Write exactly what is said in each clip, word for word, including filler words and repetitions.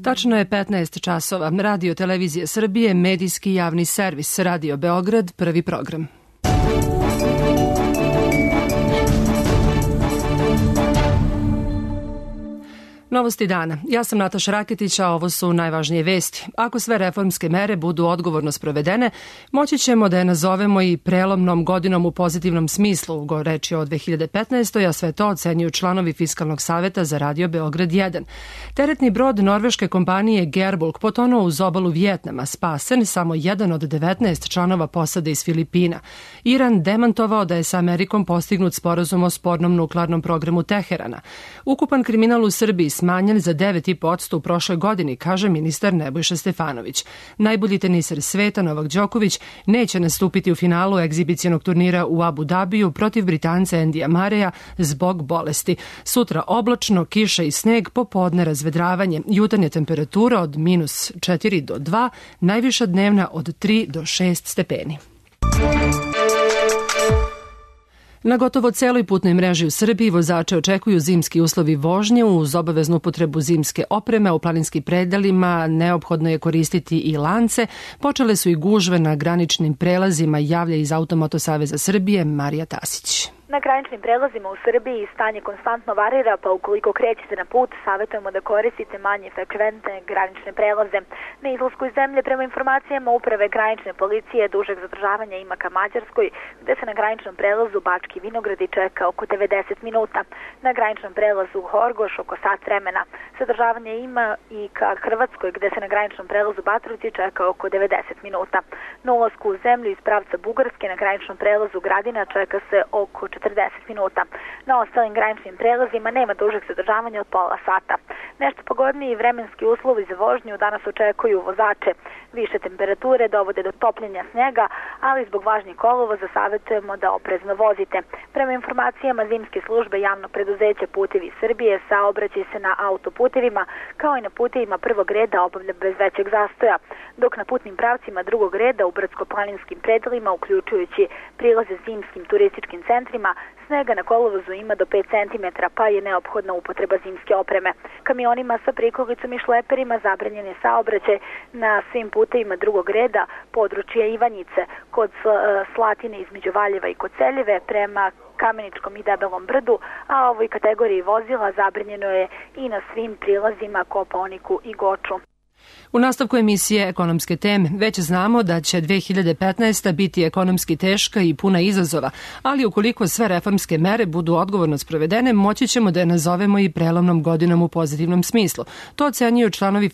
Tačno je petnaest časova. Radio Televizije Srbije, medijski javni servis, Radio Beograd, prvi program. Novosti dana. Ja sam Nataša Raketić, a ovo su najvažnije vesti. Ako sve reformske mere budu odgovorno sprovedene, moći ćemo da je nazovemo i prelomnom godinom u pozitivnom smislu, reč je o dve hiljade petnaestoj. a sve to ocenjuju članovi Fiskalnog saveta za Radio Beograd jedan. Teretni brod norveške kompanije Gearbulk potonuo uz obalu Vijetnama, spasen samo jedan od devetnaest članova posade iz Filipina. Iran demantovao da je sa Amerikom postignut sporazum o spornom nuklearnom programu Teherana. Ukupan kriminal u Srbiji smanjen za devet zarez pet posto u prošloj godini, kaže ministar Nebojša Stefanović. Najbolji teniser sveta Novak Đoković neće nastupiti u finalu egzibicionog turnira u Abu Dabiju protiv Britanca Endija Mareja zbog bolesti. Sutra oblačno, kiša i sneg, popodne razvedravanje. Jutarnja temperatura od minus četiri do dva, najviša dnevna od tri do šest stepeni. Na gotovo celoj putnoj mreži u Srbiji vozače očekuju zimski uslovi vožnje uz obaveznu upotrebu zimske opreme. U planinskim predelima neophodno je koristiti i lance. Počele su i gužve na graničnim prelazima, javlja iz Automoto saveza Srbije Marija Tasić. Na graničnim prelazima u Srbiji stanje konstantno varira, pa ukoliko krećete na put, savjetujemo da koristite manje frekventne granične prelaze. Na izlasku iz zemlje, prema informacijama Uprave granične policije, dužeg zadržavanja ima ka Mađarskoj, gde se na graničnom prelazu Bački Vinogradi čeka oko devedeset minuta. Na graničnom prelazu Horgoš oko sat vremena. Zadržavanje ima i ka Hrvatskoj, gde se na graničnom prelazu Batrovci čeka oko devedeset minuta. Na ulasku u zemlju iz pravca Bugarske na graničnom prelazu Gradina čeka se oko četrdeset minuta. Na ostalim graničnim prelazima nema dužeg zadržavanja od pola sata. Nešto pogodniji vremenski uslovi za vožnju danas očekuju vozače. Više temperature dovode do topljenja snega, ali zbog važnjeg kolovoza savjetujemo da oprezno vozite. Prema informacijama zimske službe javnog preduzeća Putevi Srbije, saobraćaj se na autoputevima kao i na putevima prvog reda obavlja bez većeg zastoja, dok na putnim pravcima drugog reda u brdsko-planinskim predelima, uključujući prilaze zimskim turističkim centrima, snega na kolovozu ima do pet centimetara, pa je neophodna upotreba zimske opreme. Kamionima sa prikolicom i šleperima zabranjen je saobraćaj na svim putevima drugog reda područja Ivanjice, kod Slatine između Valjeva i Koceljeve prema Kameničkom i Debelom brdu, a ovoj kategoriji vozila zabranjeno je i na svim prilazima Kopaoniku i Goču. U nastavku emisije Ekonomske teme već znamo da će dve hiljade petnaesta. biti ekonomski teška i puna izazova, ali ukoliko sve reformske mere budu odgovorno sprovedene, moći ćemo da je nazovemo i prelomnom godinom u pozitivnom smislu. To ocenjuju članovi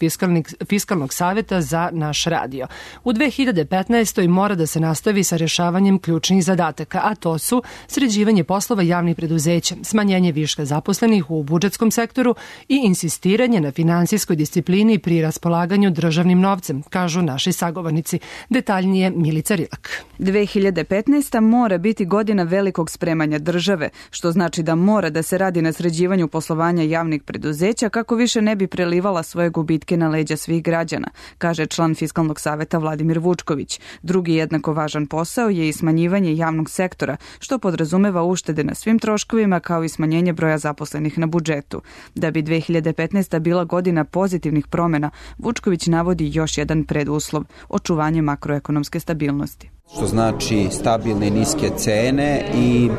Fiskalnog saveta za naš radio. U dve hiljade petnaestoj. mora da se nastavi sa rješavanjem ključnih zadataka, a to su sređivanje poslova javnih preduzeća, smanjenje viška zaposlenih u budžetskom sektoru i insistiranje na finansijskoj disciplini pri raspolaganju državnim novcem, kažu naši sagovornici. Detaljnije Milica Rilak. dve hiljade petnaesta. mora biti godina velikog spremanja države, što znači da mora da se radi na sređivanju poslovanja javnih preduzeća kako više ne bi prelivala svoje gubitke na leđa svih građana, kaže član Fiskalnog saveta Vladimir Vučković. Drugi jednako važan posao je i smanjivanje javnog sektora, što podrazumeva uštede na svim troškovima kao i smanjenje broja zaposlenih na budžetu. Da bi dve hiljade petnaesta. bila godina pozitivnih promjena, Vučković navodi još jedan preduslov, očuvanje makroekonomske stabilnosti. Što znači stabilne i niske cene i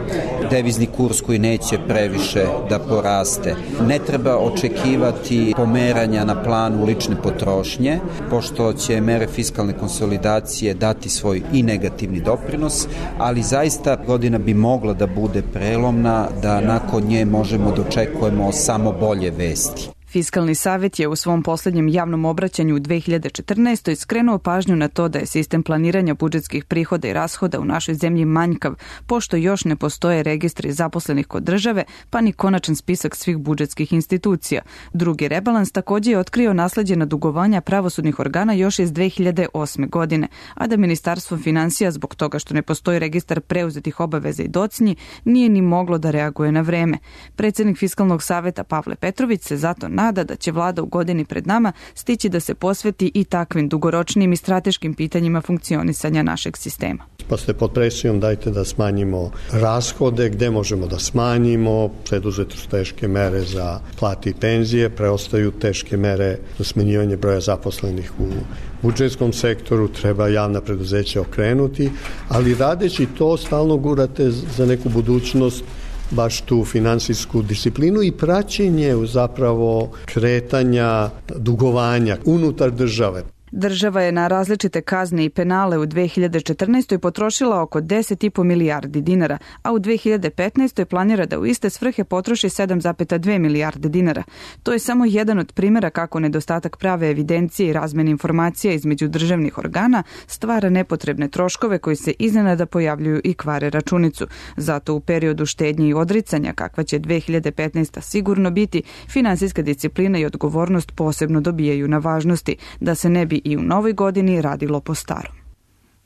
devizni kurs koji neće previše da poraste. Ne treba očekivati pomeranja na planu lične potrošnje, pošto će mere fiskalne konsolidacije dati svoj i negativni doprinos, ali zaista godina bi mogla da bude prelomna, da nakon nje možemo da očekujemo samo bolje vesti. Fiskalni savjet je u svom posljednjem javnom obraćanju u dve hiljade četrnaestoj. skrenuo pažnju na to da je sistem planiranja budžetskih prihoda i rashoda u našoj zemlji manjkav, pošto još ne postoje registri zaposlenih kod države, pa ni konačan spisak svih budžetskih institucija. Drugi rebalans također je otkrio nasleđena dugovanja pravosudnih organa još iz dve hiljade osme. godine, a da Ministarstvo financija, zbog toga što ne postoji registar preuzetih obaveza i docnji, nije ni moglo da reaguje na vreme. Predsjednik Fiskalnog saveta Pavle Petrović se zato nada da će vlada u godini pred nama stići da se posveti i takvim dugoročnim i strateškim pitanjima funkcionisanja našeg sistema. Pa ste pod presijom, dajte da smanjimo rashode, gde možemo da smanjimo, preduzete su teške mere za plate i penzije, preostaju teške mere za smanjivanje broja zaposlenih u budžetskom sektoru, treba javna preduzeća okrenuti, ali radeći to stalno gurate za neku budućnost baš tu finansijsku disciplinu i praćenje zapravo kretanja dugovanja unutar države. Država je na različite kazne i penale u dve hiljade četrnaestoj potrošila oko deset zarez pet milijardi dinara, a u dve hiljade petnaestoj planira da u iste svrhe potroši sedam zarez dve milijarde dinara. To je samo jedan od primjera kako nedostatak prave evidencije i razmene informacija između državnih organa stvara nepotrebne troškove koji se iznenada pojavljuju i kvare računicu. Zato u periodu štednje i odricanja, kakva će dve hiljade petnaesta sigurno biti, finansijska disciplina i odgovornost posebno dobijaju na važnosti, da se ne bi i u novoj godini radilo po starom.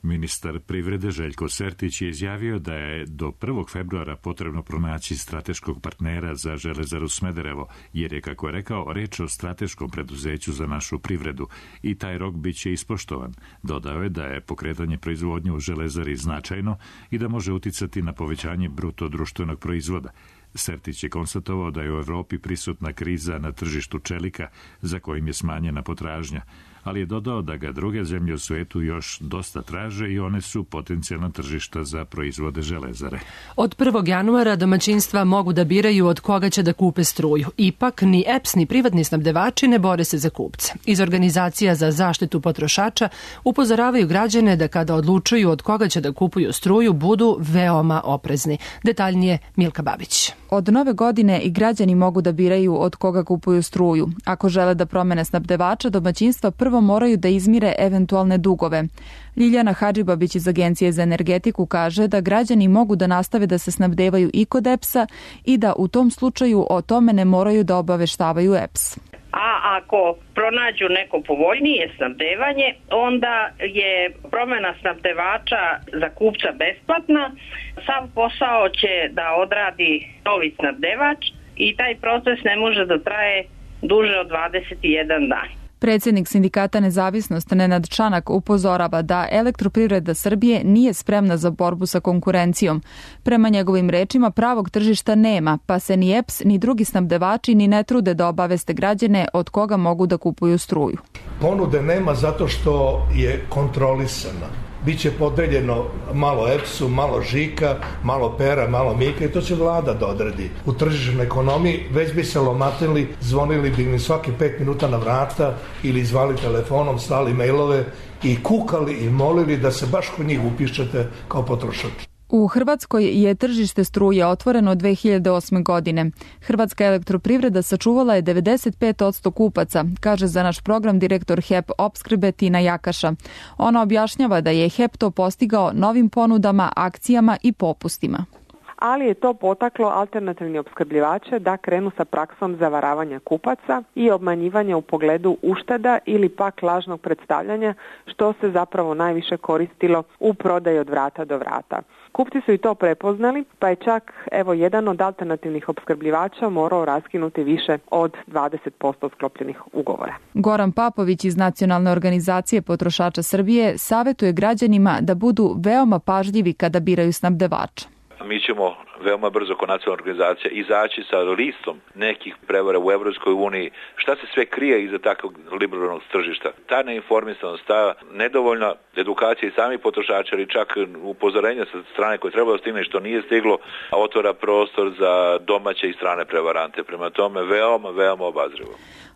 Ministar privrede Željko Sertić je izjavio da je do prvog februara potrebno pronaći strateškog partnera za Železaru Smederevo, jer je, kako je rekao, reč o strateškom preduzeću za našu privredu i taj rok bit će ispoštovan. Dodao je da je pokretanje proizvodnje u Železari značajno i da može uticati na povećanje bruto društvenog proizvoda. Sertić je konstatovao da je u Evropi prisutna kriza na tržištu čelika, za kojim je smanjena potražnja, ali je dodao da ga druge zemlje u svetu još dosta traže i one su potencijalna tržišta za proizvode Železare. Od prvog januara domaćinstva mogu da biraju od koga će da kupe struju. Ipak ni E P S ni privatni snabdevači ne bore se za kupce. Iz organizacija za zaštitu potrošača upozoravaju građane da kada odlučuju od koga će da kupuju struju budu veoma oprezni. Detaljnije Milka Babić. Od nove godine i građani mogu da biraju od koga kupuju struju. Ako žele da promene snabdevača, domaćinstva prvo moraju da izmire eventualne dugove. Ljiljana Hadžibabić iz Agencije za energetiku kaže da građani mogu da nastave da se snabdevaju i kod E P S-a i da u tom slučaju o tome ne moraju da obaveštavaju E P S. A ako pronađu neko povoljnije snabdevanje, onda je promena snabdevača za kupca besplatna. Sav posao će da odradi novi snabdevač i taj proces ne može da traje duže od dvadeset jedan dan. Predsjednik Sindikata Nezavisnost Nenad Čanak upozorava da Elektroprivreda Srbije nije spremna za borbu sa konkurencijom. Prema njegovim rečima pravog tržišta nema, pa se ni E P S ni drugi snabdevači ni ne trude da obaveste građane od koga mogu da kupuju struju. Ponude nema zato što je kontrolisana. Biće podeljeno malo E P S-u, malo Žika, malo Pera, malo Mika i to će vlada da odredi. U tržišnoj ekonomiji već bi se lomatili, zvonili bi mi svaki pet minuta na vrata ili zvali telefonom, slali mailove i kukali i molili da se baš kod njih upišete kao potrošač. U Hrvatskoj je tržište struje otvoreno od dve hiljade osme. godine. Hrvatska elektroprivreda sačuvala je devedeset pet posto kupaca, kaže za naš program direktor H E P opskrbe Tina Jakaša. Ona objašnjava da je H E P to postigao novim ponudama, akcijama i popustima. Ali je to potaklo alternativni opskrbljivače da krenu sa praksom zavaravanja kupaca i obmanjivanja u pogledu ušteda ili pak lažnog predstavljanja, što se zapravo najviše koristilo u prodaji od vrata do vrata. Kupci su i to prepoznali, pa je čak evo jedan od alternativnih opskrbljivača morao raskinuti više od dvadeset posto sklopljenih ugovora. Goran Papović iz Nacionalne organizacije potrošača Srbije savjetuje građanima da budu veoma pažljivi kada biraju snabdevača. Mi ćemo veoma brzo kao nacionalna organizacija izaći sa listom nekih prevara u Evropskoj uniji. Šta se sve krije iza takvog liberalnog tržišta? Ta neinformisanost, ta nedovoljna edukacija i samih potrošača ili čak upozorenja sa strane koje treba da stigne što nije stiglo, otvara prostor za domaće i strane prevarante. Prema tome veoma, veoma obazrivo.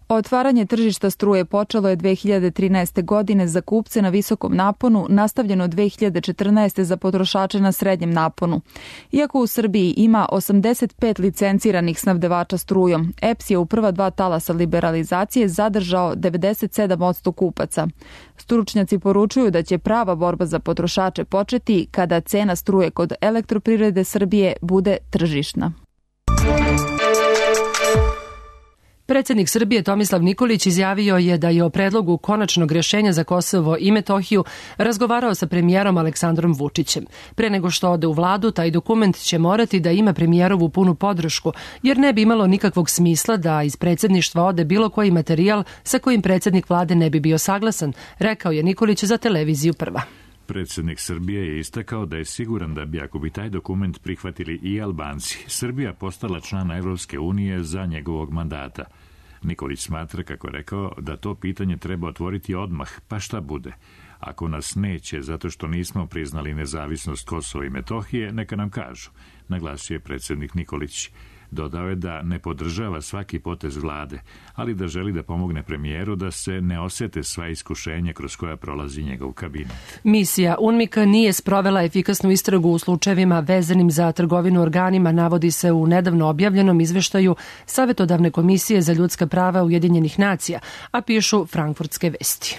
Otvaranje tržišta struje počelo je dve hiljade trinaeste. godine za kupce na visokom naponu, nastavljeno dve hiljade četrnaeste. za potrošače na srednjem naponu. Iako u Srbiji ima osamdeset pet licenciranih snabdevača strujom, E P S je u prva dva talasa liberalizacije zadržao devedeset sedam posto kupaca. Stručnjaci poručuju da će prava borba za potrošače početi kada cena struje kod Elektroprivrede Srbije bude tržišna. Predsjednik Srbije Tomislav Nikolić izjavio je da je o predlogu konačnog rješenja za Kosovo i Metohiju razgovarao sa premijerom Aleksandrom Vučićem. Pre nego što ode u vladu, taj dokument će morati da ima premijerovu punu podršku, jer ne bi imalo nikakvog smisla da iz predsjedništva ode bilo koji materijal sa kojim predsjednik vlade ne bi bio saglasan, rekao je Nikolić za televiziju Prva. Predsjednik Srbije je istakao da je siguran da bi, ako bi taj dokument prihvatili i Albanci, Srbija postala člana Evropske unije za njegovog mandata. Nikolić smatra, kako je rekao, da to pitanje treba otvoriti odmah, pa šta bude. Ako nas neće zato što nismo priznali nezavisnost Kosova i Metohije, neka nam kažu, naglasio je predsjednik Nikolić. Dodao je da ne podržava svaki potez vlade, ali da želi da pomogne premijeru da se ne osjete sva iskušenja kroz koja prolazi njegov kabinet. Misija UNMIK-a nije sprovela efikasnu istragu u slučajevima vezanim za trgovinu organima, navodi se u nedavno objavljenom izveštaju Savetodavne komisije za ljudska prava Ujedinjenih nacija, a pišu Frankfurtske vesti.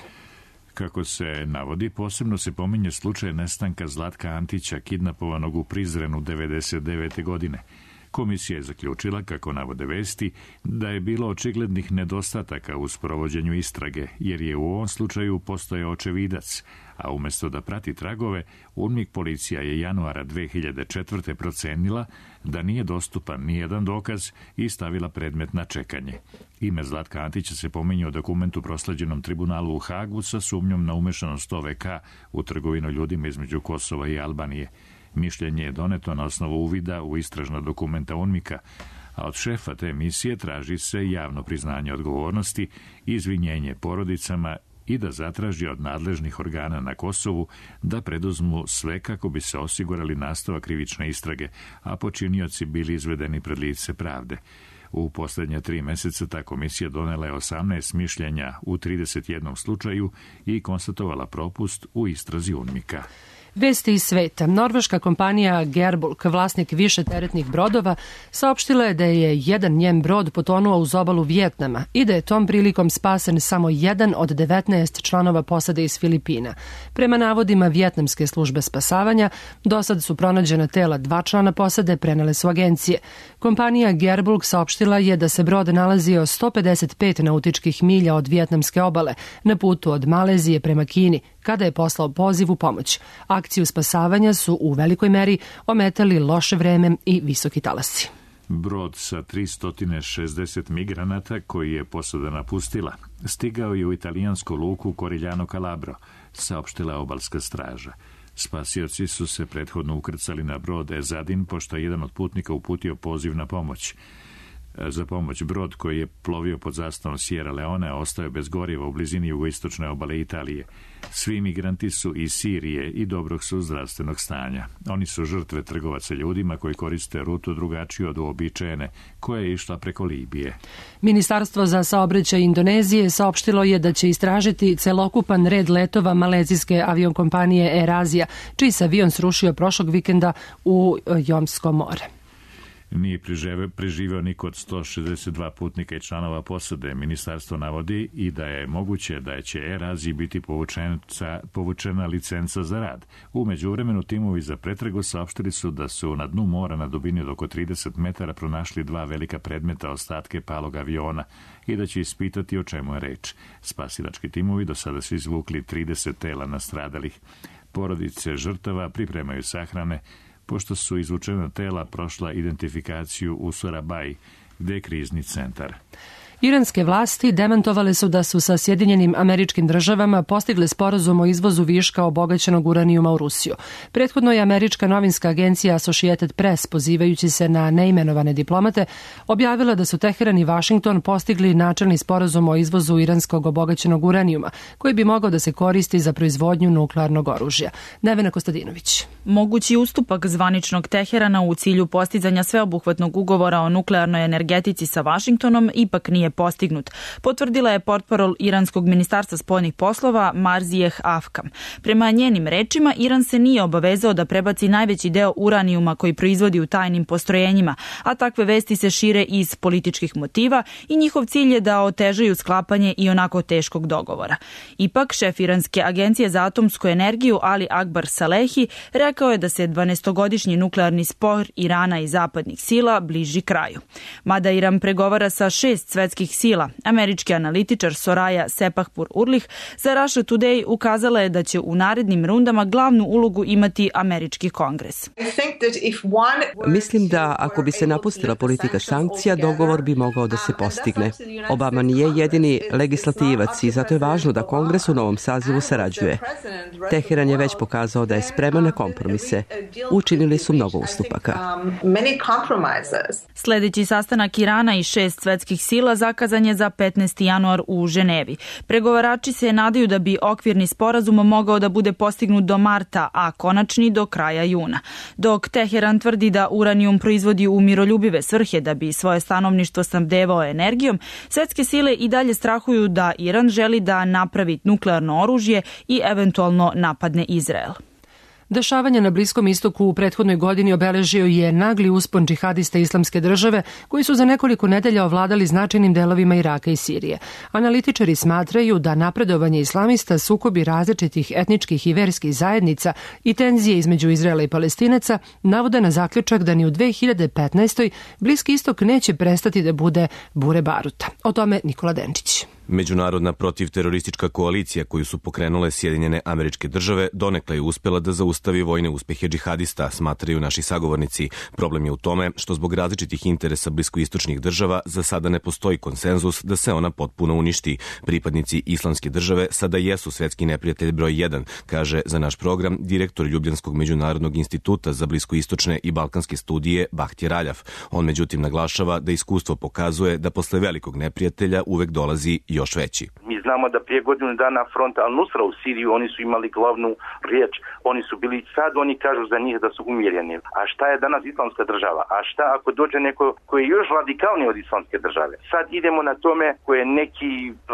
Kako se navodi, posebno se pominje slučaj nestanka Zlatka Antića, kidnapovanog u Prizrenu devedeset devete godine. Komisija je zaključila, kako navode vesti, da je bilo očiglednih nedostataka u sprovođenju istrage, jer je u ovom slučaju postojao očevidac, a umjesto da prati tragove, UNMIK policija je januara dve hiljade četvrte procenila da nije dostupan nijedan dokaz i stavila predmet na čekanje. Ime Zlatka Antića se pominje u dokumentu prosleđenom tribunalu u Hagu sa sumnjom na umešanost O V K u trgovinu ljudima između Kosova i Albanije. Mišljenje je doneto na osnovu uvida u istražna dokumenta UNMIK-a, a od šefa te misije traži se javno priznanje odgovornosti, izvinjenje porodicama i da zatraži od nadležnih organa na Kosovu da preduzmu sve kako bi se osigurali nastavak krivične istrage, a počinioci bili izvedeni pred lice pravde. U posljednje tri meseca ta komisija donela je osamnaest mišljenja u trideset jednom slučaju i konstatovala propust u istrazi UNMIK-a. Vesti iz sveta. Norveška kompanija Gerbulk, vlasnik više teretnih brodova, saopštila je da je jedan njen brod potonuo uz obalu Vijetnama i da je tom prilikom spasen samo jedan od devetnaest članova posade iz Filipina. Prema navodima Vijetnamske službe spasavanja, do sad su pronađena tela dva člana posade, prenele su agencije. Kompanija Gerbulk saopštila je da se brod nalazio sto pedeset pet nautičkih milja od vijetnamske obale, na putu od Malezije prema Kini, kada je poslao poziv u pomoć. Akciju spasavanja su u velikoj meri ometali loše vreme i visoki talasi. Brod sa tristo šezdeset migranata, koji je posada napustila, stigao je u italijansku luku Corigliano Calabro, saopštila obalska straža. Spasioci su se prethodno ukrcali na brod Ezadin, pošto je jedan od putnika uputio poziv na pomoć. Za pomoć brod koji je plovio pod zastavom Sierra Leone ostao je bez goriva u blizini jugoistočne obale Italije. Svi migranti su iz Sirije i dobrog su zdravstvenog stanja. Oni su žrtve trgovaca ljudima koji koriste rutu drugačiju od uobičajene, koja je išla preko Libije. Ministarstvo za saobraćaj Indonezije saopštilo je da će istražiti celokupan red letova malezijske aviokompanije Air Asia, čiji se avion srušio prošlog vikenda u Jomsko more. Nije preživeo niko od sto šezdeset dva putnika i članova posade. Ministarstvo navodi i da je moguće da će Air Aziji biti povučena licenca za rad. U međuvremenu timovi za pretragu saopštili su da su na dnu mora na dubini od oko trideset metara pronašli dva velika predmeta, ostatke palog aviona, i da će ispitati o čemu je reč. Spasilački timovi do sada su izvukli trideset tela nastradalih. Porodice žrtava pripremaju sahrane, pošto su izvučena tela prošla identifikaciju u Surabaji, gde je krizni centar. Iranske vlasti demantovale su da su sa Sjedinjenim Američkim Državama postigle sporazum o izvozu viška obogaćenog uranijuma u Rusiju. Prethodno je američka novinska agencija Associated Press, pozivajući se na neimenovane diplomate, objavila da su Teheran i Vašington postigli načelni sporazum o izvozu iranskog obogaćenog uranijuma, koji bi mogao da se koristi za proizvodnju nuklearnog oružja. Nevena Kostadinović. Mogući ustupak zvaničnog Teherana u cilju postizanja sveobuhvatnog ugovora o nuklearnoj energetici sa Vašingtonom ipak nije postignut, potvrdila je portparol iranskog ministarstva spoljnih poslova Marzijeh Afkam. Prema njenim rečima, Iran se nije obavezao da prebaci najveći deo uranijuma koji proizvodi u tajnim postrojenjima, a takve vesti se šire iz političkih motiva i njihov cilj je da otežaju sklapanje i onako teškog dogovora. Ipak, šef Iranske agencije za atomsku energiju Ali Akbar Salehi rekao je da se dvanaestogodišnji nuklearni spor Irana i zapadnih sila bliži kraju. Mada Iran pregovara sa šest svetskih svetskih sila. Američki analitičar Soraya Sepahpur-Urlih za Russia Today ukazala je da će u narednim rundama glavnu ulogu imati američki kongres. Mislim da ako bi se napustila politika sankcija, dogovor bi mogao da se postigne. Obama nije jedini legislativac i zato je važno da kongres u novom sazivu sarađuje. Teheran je već pokazao da je spreman na kompromise. Učinili su mnogo ustupaka. Sljedeći sastanak Irana i šest svetskih sila zakazan je za petnaesti januar u Ženevi. Pregovarači se nadaju da bi okvirni sporazum mogao da bude postignut do marta, a konačni do kraja juna. Dok Teheran tvrdi da uranijum proizvodi u miroljubive svrhe da bi svoje stanovništvo snabdevao energijom, svetske sile i dalje strahuju da Iran želi da napravi nuklearno oružje i eventualno napadne Izrael. Dešavanja na Bliskom istoku u prethodnoj godini obeležio je nagli uspon džihadista Islamske države koji su za nekoliko nedelja ovladali značajnim delovima Iraka i Sirije. Analitičari smatraju da napredovanje islamista, sukobi različitih etničkih i verskih zajednica i tenzije između Izraela i Palestinaca navode na zaključak da ni u dve hiljade petnaestoj. Bliski istok neće prestati da bude bure baruta. O tome Nikola Denčić. Međunarodna protivteroristička koalicija koju su pokrenule Sjedinjene Američke Države donekle je uspela da zaustavi vojne uspehe džihadista, smatraju naši sagovornici. Problem je u tome što zbog različitih interesa bliskoistočnih država za sada ne postoji konsenzus da se ona potpuno uništi. Pripadnici Islamske države sada jesu svetski neprijatelj broj jedan, kaže za naš program direktor Ljubljanskog međunarodnog instituta za bliskoistočne i balkanske studije Bahtje Raljaf. On međutim naglašava da iskustvo pokazuje da posle velikog neprijatelja uvek dolazi još veći. Mi znamo da prije godinu dana front Al-Nusra u Siriju oni su imali glavnu riječ, oni su bili, sad oni kažu za njih da su umjereni. A šta je danas Islamska država? A šta ako dođe neko koji je još radikalniji od Islamske države? Sad idemo na tome koje neki,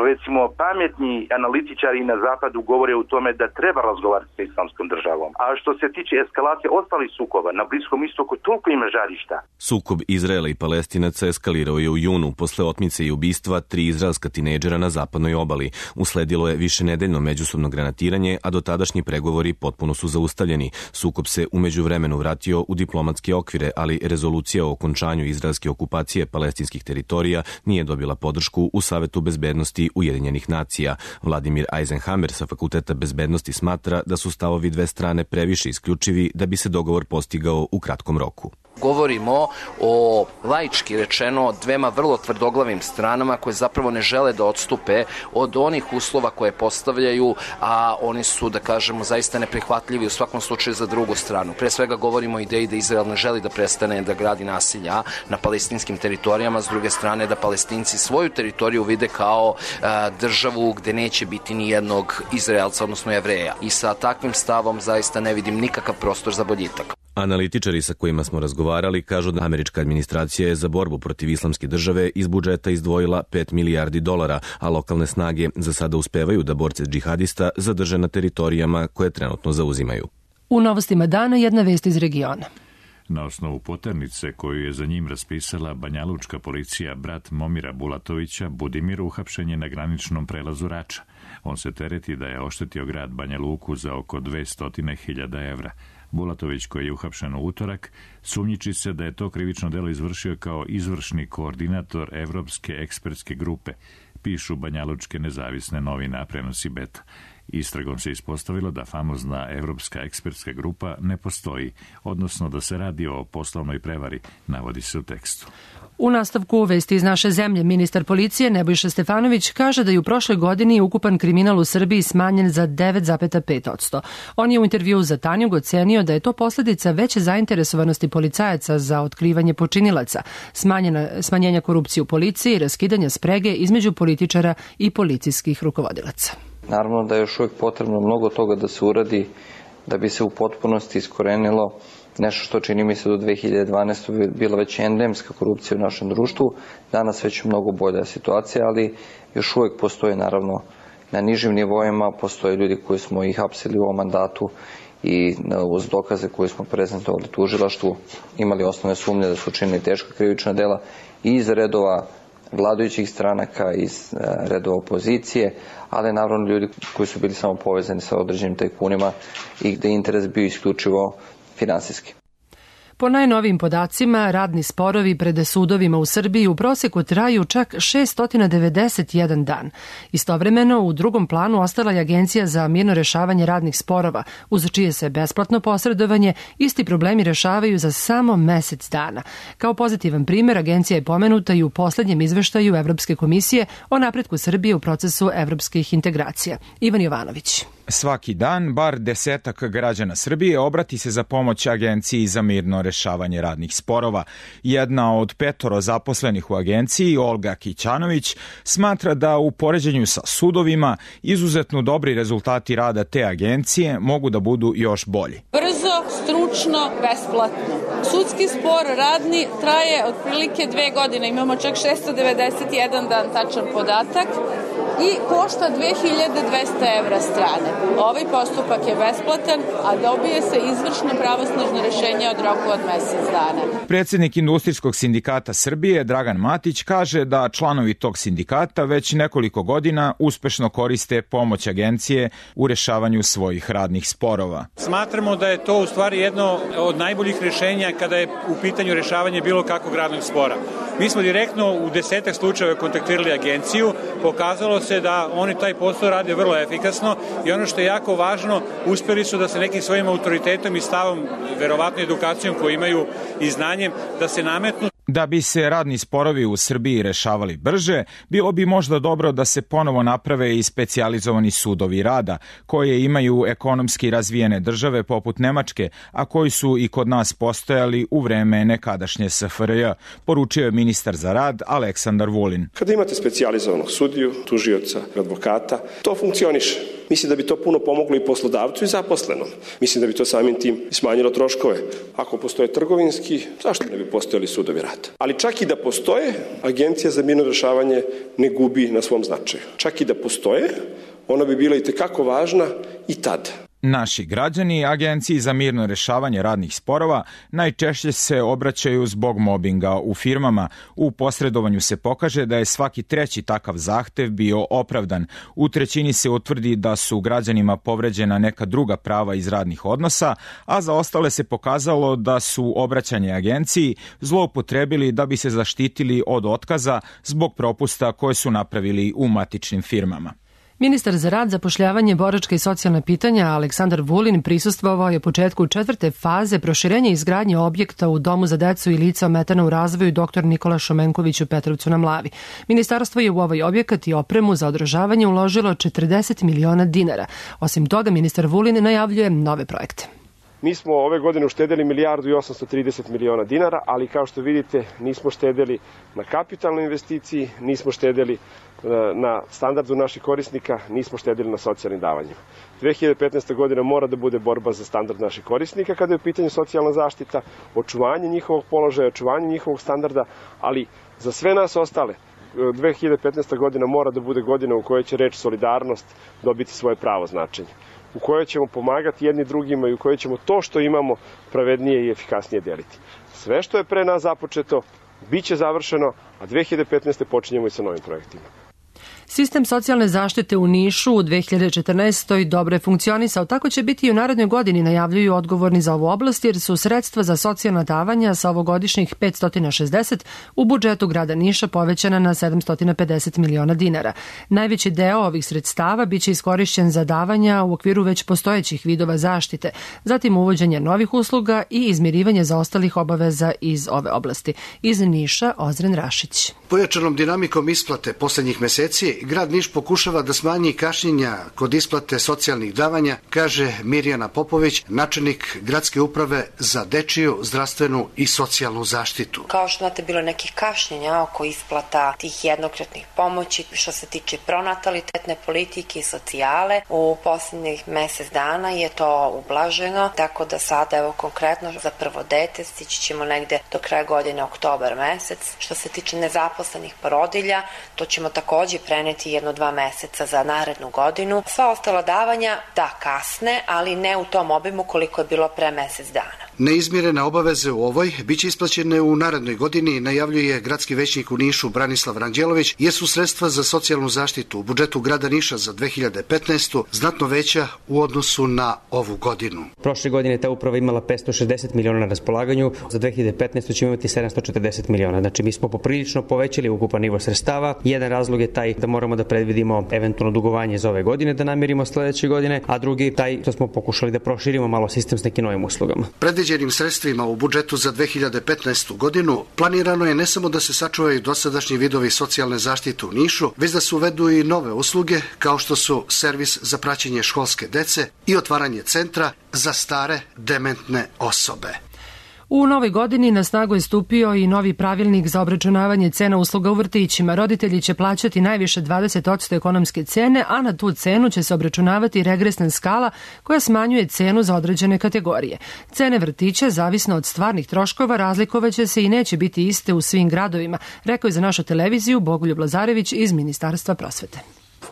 recimo, pametni analitičari na zapadu govore u tome da treba razgovarati sa Islamskom državom. A što se tiče eskalacije ostalih sukoba, na Bliskom istoku toliko ima žarišta. Sukob Izraela i Palestinaca eskalirao je u junu posle otmice i ubistva tri izraelska tinejdžera na zapadnoj obali. Usledilo je višenedeljno međusobno granatiranje, a dotadašnji pregovori potpuno su zaustavljeni. Sukob se u međuvremenu vratio u diplomatske okvire, ali rezolucija o okončanju izraelske okupacije palestinskih teritorija nije dobila podršku u Savetu bezbednosti Ujedinjenih nacija. Vladimir Eisenhammer sa Fakulteta bezbednosti smatra da su stavovi dve strane previše isključivi da bi se dogovor postigao u kratkom roku. Govorimo o, laički rečeno, dvema vrlo tvrdoglavim stranama koje zapravo ne žele da odstupe od onih uslova koje postavljaju, a oni su, da kažemo, zaista neprihvatljivi u svakom slučaju za drugu stranu. Pre svega govorimo o ideji da Izrael ne želi da prestane da gradi nasilja na palestinskim teritorijama, s druge strane da Palestinci svoju teritoriju vide kao a, državu gde neće biti ni jednog Izraelca, odnosno Jevreja. I sa takvim stavom zaista ne vidim nikakav prostor za boljitak. Analitičari sa kojima smo razgovarali kažu da američka administracija je za borbu protiv Islamske države iz budžeta izdvojila pet milijardi dolara, a lokalne snage za sada uspevaju da borce džihadista zadrže na teritorijama koje trenutno zauzimaju. U novostima dana jedna vest iz regiona. Na osnovu poternice koju je za njim raspisala banjalučka policija, brat Momira Bulatovića, Budimir, uhapšen je na graničnom prelazu Rača. On se tereti da je oštetio grad Banja Luku za oko dvesta hiljada evra. Bulatović, koji je uhapšen u utorak, sumnjiči se da je to krivično delo izvršio kao izvršni koordinator Evropske ekspertske grupe, pišu banjalučke nezavisne novine, a prenosi Beta. Istragom se ispostavilo da famozna Evropska ekspertska grupa ne postoji, odnosno da se radi o poslovnoj prevari, navodi se u tekstu. U nastavku vesti iz naše zemlje, ministar policije Nebojša Stefanović kaže da je u prošloj godini ukupan kriminal u Srbiji smanjen za devet zarez pet posto. On je u intervjuu za Tanjug ocenio da je to posljedica veće zainteresovanosti policajaca za otkrivanje počinilaca, smanjena, smanjenja korupcije u policiji i raskidanja sprege između političara i policijskih rukovodilaca. Naravno da je još uvijek potrebno mnogo toga da se uradi da bi se u potpunosti iskorenilo nešto što čini mi se do dve hiljade dvanaeste. bila već endemska korupcija u našem društvu. Danas već mnogo bolja situacija, ali još uvijek postoje naravno na nižim nivoima, postoje ljudi koji smo ih hapsili u ovom mandatu i uz dokaze koje smo prezentovali tužilaštvu imali osnovne sumnje da su učinili teška krivična dela i iz redova vladajućih stranaka, iz redova opozicije, ali naravno ljudi koji su bili samo povezani sa određenim tajkunima i gde interes bio isključivo finansijski. Po najnovijim podacima, radni sporovi pred sudovima u Srbiji u proseku traju čak šessto devedeset jedan dan. Istovremeno, u drugom planu ostala je Agencija za mirno rešavanje radnih sporova, uz čije se besplatno posredovanje isti problemi rešavaju za samo mesec dana. Kao pozitivan primer, agencija je pomenuta i u poslednjem izveštaju Evropske komisije o napretku Srbije u procesu evropskih integracija. Ivan Jovanović. Svaki dan, bar desetak građana Srbije obrati se za pomoć Agenciji za mirno rešavanje radnih sporova. Jedna od petoro zaposlenih u agenciji, Olga Kićanović, smatra da u poređenju sa sudovima izuzetno dobri rezultati rada te agencije mogu da budu još bolji. Brzo, stručno, besplatno. Sudski spor radni traje otprilike dve godine, imamo čak šessto devedeset jedan dan tačan podatak i košta dve hiljade dvesta evra strane. Ovaj postupak je besplatan, a dobije se izvršno pravosnažno rešenje od roku od mesec dana. Predsednik Industrijskog sindikata Srbije, Dragan Matić, kaže da članovi tog sindikata već nekoliko godina uspešno koriste pomoć agencije u rešavanju svojih radnih sporova. Smatramo da je to u stvari jedno od najboljih rešenja kada je u pitanju rešavanje bilo kakvog radnog spora. Mi smo direktno u desetak slučajeva kontaktirali agenciju, pokazalo se da oni taj posao rade vrlo efikasno i ono što je jako važno, uspeli su da se nekim svojim autoritetom i stavom, verovatno edukacijom koju imaju i znanjem, da se nametnu. Da bi se radni sporovi u Srbiji rešavali brže, bilo bi možda dobro da se ponovo naprave i specijalizovani sudovi rada, koje imaju ekonomski razvijene države poput Nemačke, a koji su i kod nas postojali u vreme nekadašnje S F R J, poručio je ministar za rad Aleksandar Vulin. Kada imate specijalizovanog sudiju, tužioca, advokata, to funkcioniše. Mislim da bi to puno pomoglo i poslodavcu i zaposlenom. Mislim da bi to samim tim smanjilo troškove. Ako postoje trgovinski, zašto ne bi postojali sudovi rada? Ali čak i da postoje, Agencija za mirno rešavanje ne gubi na svom značaju. Čak i da postoje, ona bi bila i tekako važna i tada. Naši građani Agenciji za mirno rešavanje radnih sporova najčešće se obraćaju zbog mobinga u firmama. U posredovanju se pokaže da je svaki treći takav zahtev bio opravdan. U trećini se utvrdi da su građanima povređena neka druga prava iz radnih odnosa, a za ostale se pokazalo da su obraćanje agenciji zloupotrebili da bi se zaštitili od otkaza zbog propusta koje su napravili u matičnim firmama. Ministar za rad, zapošljavanje, boračka i socijalna pitanja Aleksandar Vulin prisustvovao je početku četvrte faze proširenja izgradnje objekta u Domu za decu i lica ometena u razvoju dr Nikola Šomenković u Petrovcu na Mlavi. Ministarstvo je u ovaj objekat i opremu za održavanje uložilo četrdeset miliona dinara. Osim toga, ministar Vulin najavljuje nove projekte. Mi smo ove godine uštedeli milijardu i osamsto trideset miliona dinara, ali kao što vidite nismo štedeli na kapitalnoj investiciji, nismo štedeli na standardu naših korisnika, nismo štedeli na socijalnim davanjima. dve hiljade petnaesta. godina mora da bude borba za standard naših korisnika kada je u pitanju socijalna zaštita, očuvanje njihovog položaja, očuvanje njihovog standarda, ali za sve nas ostale dve hiljade petnaesta. godina mora da bude godina u kojoj će reč solidarnost dobiti svoje pravo značenje, u kojoj ćemo pomagati jedni drugima i u kojoj ćemo to što imamo pravednije i efikasnije deliti. Sve što je pre nas započeto, bit će završeno, a dve hiljade petnaeste. počinjemo i sa novim projektima. Sistem socijalne zaštite u Nišu u dve hiljade četrnaestoj. dobro je funkcionisao, tako će biti i u narednoj godini, najavljuju odgovorni za ovu oblast, jer su sredstva za socijalna davanja sa ovogodišnjih petsto šezdeset u budžetu grada Niša povećana na sedamsto pedeset miliona dinara. Najveći deo ovih sredstava biće iskorišćen za davanja u okviru već postojećih vidova zaštite, zatim uvođenje novih usluga i izmirivanje zaostalih obaveza iz ove oblasti. Iz Niša, Ozren Rašić. Pojačanom dinamikom isplate poslednjih meseci, grad Niš pokušava da smanji kašnjenja kod isplate socijalnih davanja, kaže Mirjana Popović, načelnik gradske uprave za dečiju, zdravstvenu i socijalnu zaštitu. Kao što znate, bilo nekih kašnjenja oko isplata tih jednokratnih pomoći što se tiče pronatalitetne politike i socijale. U poslednjih mesec dana je to ublaženo, tako da sada, evo konkretno za prvo dete, stići ćemo negde do kraja godine, oktobar mesec. Što se tiče nezaposlenih porodilja, to ćemo takođe preneti nameniti jedno dva meseca za narednu godinu. Sva ostala davanja, da, kasne, ali ne u tom obimu koliko je bilo pre mesec dana. Neizmirene obaveze u ovoj biće isplaćene u narednoj godini, najavljuje gradski većnik u Nišu Branislav Ranđelović, jer su sredstva za socijalnu zaštitu u budžetu grada Niša za dve hiljade petnaestu. znatno veća u odnosu na ovu godinu. Prošle godine ta uprava imala petsto šezdeset miliona na raspolaganju, za dve hiljade petnaestu ćemo imati sedamsto četrdeset miliona. Znači mi smo poprilično povećali ukupan nivo sredstava. Jedan razlog je taj da moramo da predvidimo eventualno dugovanje za ove godine da namirimo sledeće godine, a drugi taj što smo pokušali da proširimo malo sistem s nekim novim uslugama. Predviđenim sredstvima u budžetu za dve hiljade petnaestu godinu planirano je ne samo da se sačuvaju dosadašnji vidovi socijalne zaštite u Nišu, već da se uvedu i nove usluge kao što su servis za praćenje školske dece i otvaranje centra za stare dementne osobe. U novoj godini na snagu je stupio i novi pravilnik za obračunavanje cena usluga u vrtićima. Roditelji će plaćati najviše dvadeset posto ekonomske cene, a na tu cenu će se obračunavati regresna skala koja smanjuje cenu za određene kategorije. Cene vrtića, zavisno od stvarnih troškova, razlikovaće se i neće biti iste u svim gradovima, rekao je za našu televiziju Bogoljub Lazarević iz Ministarstva prosvete.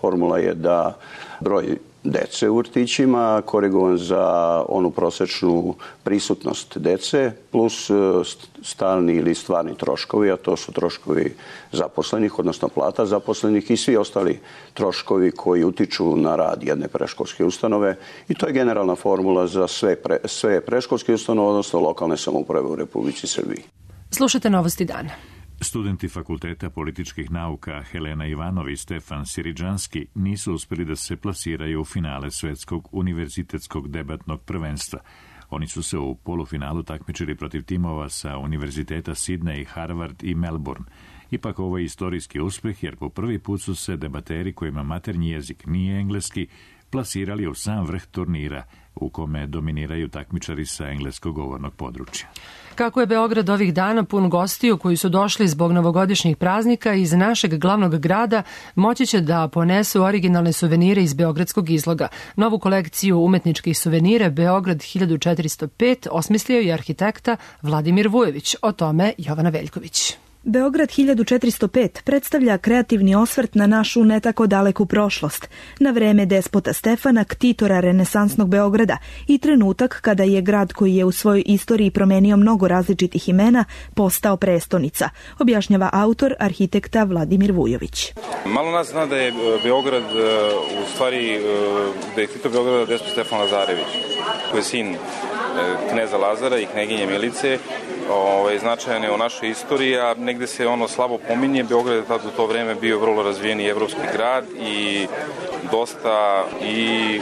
Formula je da broj dece u vrtićima korigovan za onu prosečnu prisutnost dece plus stalni ili stvarni troškovi, a to su troškovi zaposlenih, odnosno plata zaposlenih i svi ostali troškovi koji utiču na rad jedne predškolske ustanove i to je generalna formula za sve, pre, sve predškolske ustanove, odnosno lokalne samouprave u Republici Srbiji. Slušajte novosti dana. Studenti Fakulteta političkih nauka Helena Ivanov i Stefan Siridžanski nisu uspeli da se plasiraju u finale Svetskog univerzitetskog debatnog prvenstva. Oni su se u polufinalu takmičili protiv timova sa univerziteta Sidney, Harvard i Melbourne. Ipak ovo je istorijski uspeh jer po prvi put su se debateri kojima maternji jezik nije engleski plasirali u sam vrh turnira u kome dominiraju takmičari sa engleskog govornog područja. Kako je Beograd ovih dana pun gostiju koji su došli zbog novogodišnjih praznika iz našeg glavnog grada, moći će da ponesu originalne suvenire iz beogradskog izloga. Novu kolekciju umetničkih suvenira Beograd hiljadu četiristo pet osmislio je arhitekta Vladimir Vujović. O tome Jovana Veljković. Beograd hiljadu četiristo pet predstavlja kreativni osvrt na našu ne tako daleku prošlost, na vreme despota Stefana, ktitora renesansnog Beograda i trenutak kada je grad koji je u svojoj istoriji promenio mnogo različitih imena postao prestonica, objašnjava autor, arhitekta Vladimir Vujović. Malo nas zna da je Beograd u stvari, da je ktitor Beograda despot Stefan Lazarević, koji je sin kneza Lazara i kneginje Milice. Ovaj, značajan je u našoj istoriji, a negde se ono slabo pominje. Beograd je tad u to vreme bio vrlo razvijeni evropski grad i dosta i e,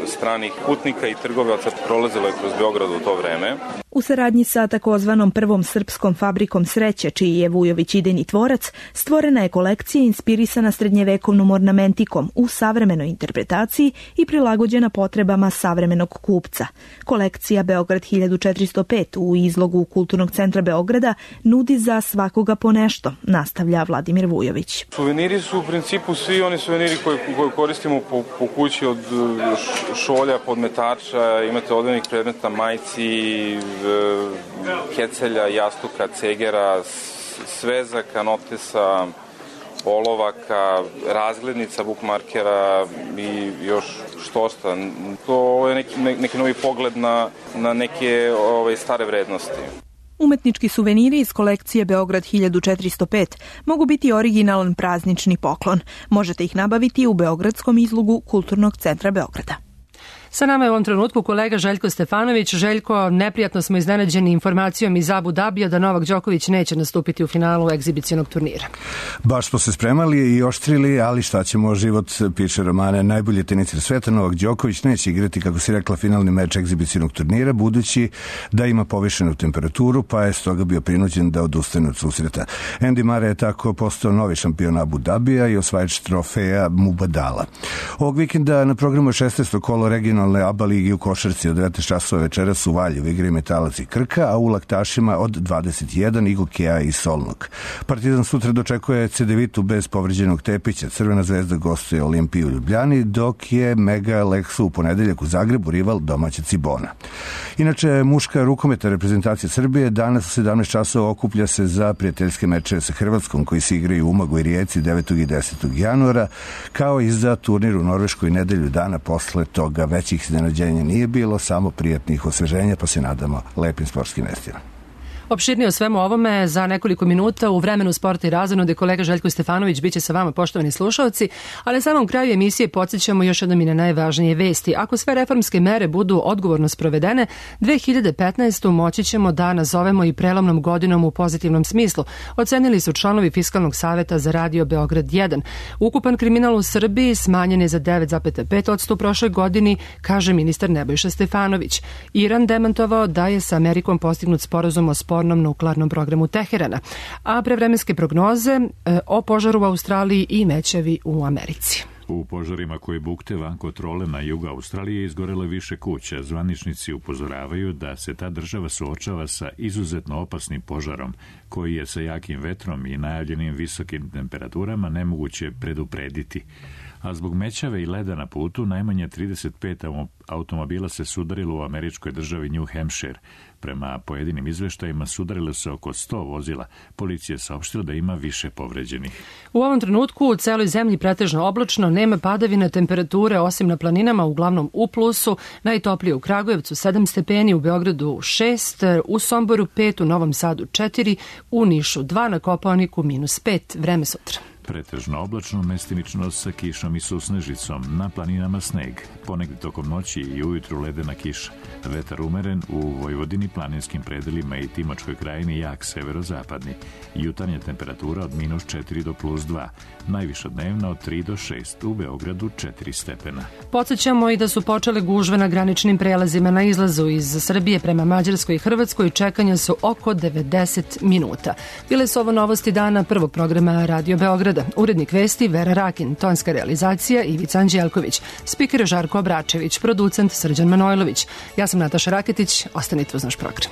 stranih putnika i trgovaca prolazilo je kroz Beograd u to vreme. U saradnji sa takozvanom prvom srpskom fabrikom sreće, čiji je Vujović idejni tvorac, stvorena je kolekcija inspirisana srednjevekovnom ornamentikom u savremenoj interpretaciji i prilagođena potrebama savremenog kupca. Kolekcija Beograd hiljadu četiristo pet u izlogu Kulturnog centra Beograda nudi za svakoga po nešto, nastavlja Vladimir Vujović. Suveniri su u principu svi oni suveniri koje, koje koristimo po, po kući, od šolja, podmetača, imate odevnih predmeta, majci, kecelja, jastuka, cegera, svezaka, notesa, olovaka, razglednica, bukmarkera i još štošta. To je neki, neki novi pogled na, na neke ove, stare vrednosti. Umetnički suveniri iz kolekcije Beograd hiljadu četiristo pet mogu biti originalan praznični poklon. Možete ih nabaviti u beogradskom izlogu Kulturnog centra Beograda. Sa nama je u ovom trenutku kolega Željko Stefanović. Željko, neprijatno smo iznenađeni informacijom iz Abu Dabija da Novak Đoković neće nastupiti u finalu egzibicionog turnira. Baš smo se spremali i oštrili, ali šta ćemo, život piše romane. Najbolji teniser sveta Novak Đoković neće igrati, kako si rekla, finalni meč egzibicionog turnira, budući da ima povišenu temperaturu, pa je stoga bio prinuđen da odustane od susreta. Andy Murray je tako postao novi šampion Abu Dabija i osvajač trofeja Mubadala. Ovog vikenda na programu je šesnaesto kolo regionalnog regionalne A B A ligi u košarci od devetnaest časova večeras u Valjevu igraju Metalac i Krka, a u Laktašima od dvadeset jedan igu Kea i Solnog. Partizan sutra dočekuje Cedevitu bez povređenog Tepića. Crvena zvezda gostuje Olimpiju u Ljubljani, dok je Mega Leksu u ponedeljak u Zagrebu rival domaća Cibona. Inače, muška rukometa reprezentacija Srbije danas u sedamnaest časova okuplja se za prijateljske mečeve sa Hrvatskom koji se igraju u Umagu i Rijeci devetog i desetog januara, kao i za turnir u Norveškoj nedelju dana posle toga. Većih iznenađenja nije bilo, samo prijatnih osveženja, pa se nadamo lepim sportskim vestima. Opširnije o svemu ovome za nekoliko minuta u vremenu sporta i razonode kolega Željko Stefanović biće sa vama, poštovani slušalci, ali na samom kraju emisije podsjećamo još jednom i na najvažnije vesti. Ako sve reformske mere budu odgovorno sprovedene, dve hiljade petnaestu moći ćemo da nazovemo i prelomnom godinom u pozitivnom smislu, ocenili su članovi Fiskalnog saveta za Radio Beograd jedan. Ukupan kriminal u Srbiji smanjen je za devet zarez pet posto u prošloj godini, kaže ministar Nebojša Stefanović. Iran demantovao da je sa Amerikom postignut sporazum o sporu nuklearnom programu Teherana, a prevremenske prognoze e, o požaru u Australiji i mećevi u Americi. U požarima koji bukte van kontrole na jugu Australije izgorelo više kuća. Zvaničnici upozoravaju da se ta država suočava sa izuzetno opasnim požarom, koji je sa jakim vetrom i najavljenim visokim temperaturama nemoguće preduprediti. A zbog mećave i leda na putu najmanje trideset pet automobila se sudarilo u američkoj državi New Hampshire. Prema pojedinim izveštajima sudarilo se oko sto vozila. Policija je saopštila da ima više povređenih. U ovom trenutku u celoj zemlji pretežno oblačno, nema padavina, temperature osim na planinama uglavnom u plusu, najtoplije u Kragujevcu sedam stepeni, u Beogradu šest, u Somboru pet, u Novom Sadu četiri, u Nišu dva, na Kopaoniku minus pet, vreme sutra. Pretežno oblačno, mestimično sa kišom i susnežicom, na planinama sneg, ponegde tokom noći i ujutru ledena kiša. Vetar umeren, u Vojvodini, planinskim predelima i Timočkoj krajini jak severozapadni. Jutarnja temperatura od minus četiri do plus dva, najviša dnevna od tri do šest, u Beogradu četiri stepena. Podsjećamo i da su počele gužve na graničnim prelazima na izlazu iz Srbije prema Mađarskoj i Hrvatskoj i čekanja su oko devedeset minuta. Bile su ovo novosti dana prvog programa Radio Beograda. Urednik vesti Vera Rakin, tonska realizacija Ivica Anđelković, spiker Žarko Obračević, producent Srđan Manojlović. Ja sam Nataša Raketić, ostanite uz naš program.